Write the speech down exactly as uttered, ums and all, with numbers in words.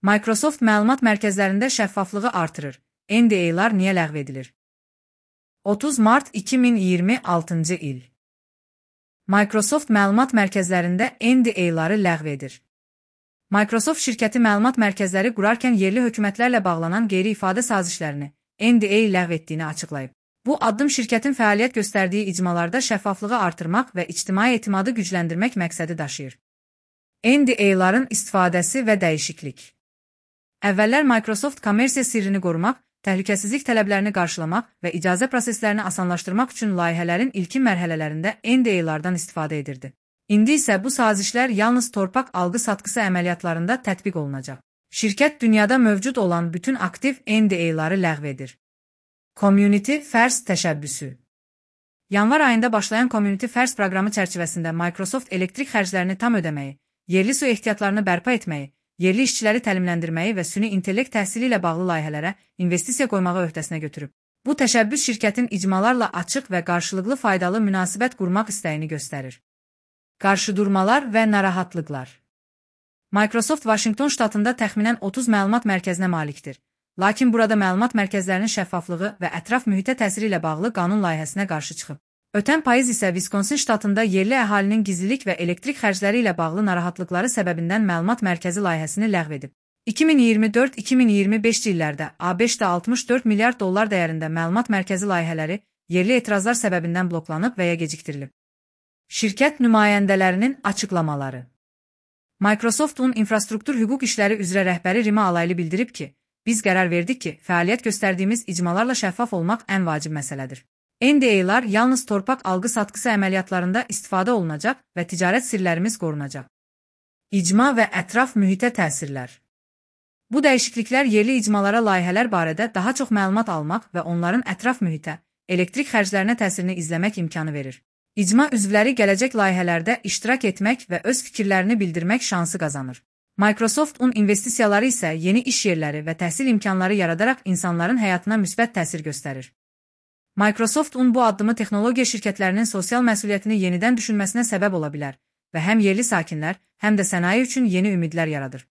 Microsoft məlumat mərkəzlərində şəffaflığı artırır. N D A'lar niyə ləğv edilir? otuz mart iki min iyirmi altıncı il. Microsoft məlumat mərkəzlərində N D A'ları ləğv edir. Microsoft şirkəti məlumat mərkəzləri qurarkən yerli hökumətlərlə bağlanan qeyri-ifadə sazişlərini N D A ləğv etdiyini açıqlayıb. Bu addım şirkətin fəaliyyət göstərdiyi icmalarda şəffaflığı artırmaq və ictimai etimadı gücləndirmək məqsədi daşıyır. N D A'ların istifadəsi və dəyişiklik. Əvvəllər Microsoft kommersiya sirrini qorumaq, təhlükəsizlik tələblərini qarşılamaq və icazə proseslərini asanlaşdırmaq üçün layihələrin ilkin mərhələlərində N D A'lardan istifadə edirdi. İndi isə bu sazişlər yalnız torpaq alqı-satqısı əməliyyatlarında tətbiq olunacaq. Şirkət dünyada mövcud olan bütün aktiv N D A'ları ləğv edir. Community First təşəbbüsü. Yanvar ayında başlayan Community First proqramı çərçivəsində Microsoft elektrik xərclərini tam ödəməyi, yerli su ehtiyatlarını bərpa etməyi, yerli işçiləri təlimləndirməyi və süni intellekt təhsili ilə bağlı layihələrə investisiya qoymağı öhdəsinə götürüb. Bu təşəbbüs şirkətin icmalarla açıq və qarşılıqlı faydalı münasibət qurmaq istəyini göstərir. Qarşıdurmalar və narahatlıqlar. Microsoft Vaşinqton ştatında təxminən otuz məlumat mərkəzinə malikdir. Lakin burada məlumat mərkəzlərinin şəffaflığı və ətraf mühitə təsiri ilə bağlı qanun layihəsinə qarşı çıxıb. Ötən payız isə Wisconsin ştatında yerli əhalinin gizlilik və elektrik xərcləri ilə bağlı narahatlıqları səbəbindən məlumat mərkəzi layihəsini ləğv edib. iki min iyirmi dörd iki min iyirmi beşinci illərdə ABŞ-da altmış dörd milyard dollar dəyərində məlumat mərkəzi layihələri yerli etirazlar səbəbindən bloklanıb və ya gecikdirilib. Şirkət nümayəndələrinin açıqlamaları. Microsoftun infrastruktur hüquq işləri üzrə rəhbəri Rima Alaylı bildirib ki, biz qərar verdik ki, fəaliyyət göstərdiyimiz icmalarla şəffaf olmaq ən vacib məsələdir. N D A'lar yalnız torpaq alqı-satqısı əməliyyatlarında istifadə olunacaq və ticarət sirlərimiz qorunacaq. İcma və ətraf mühitə təsirlər. Bu dəyişikliklər yerli icmalara layihələr barədə daha çox məlumat almaq və onların ətraf mühitə, elektrik xərclərinə təsirini izləmək imkanı verir. İcma üzvləri gələcək layihələrdə iştirak etmək və öz fikirlərini bildirmək şansı qazanır. Microsoftun investisiyaları isə yeni iş yerləri və təhsil imkanları yaradaraq insanların həyatına müsbət təsir göstərir. Microsoftun bu addımı texnologiya şirkətlərinin sosial məsuliyyətini yenidən düşünməsinə səbəb ola bilər və həm yerli sakinlər, həm də sənaye üçün yeni ümidlər yaradır.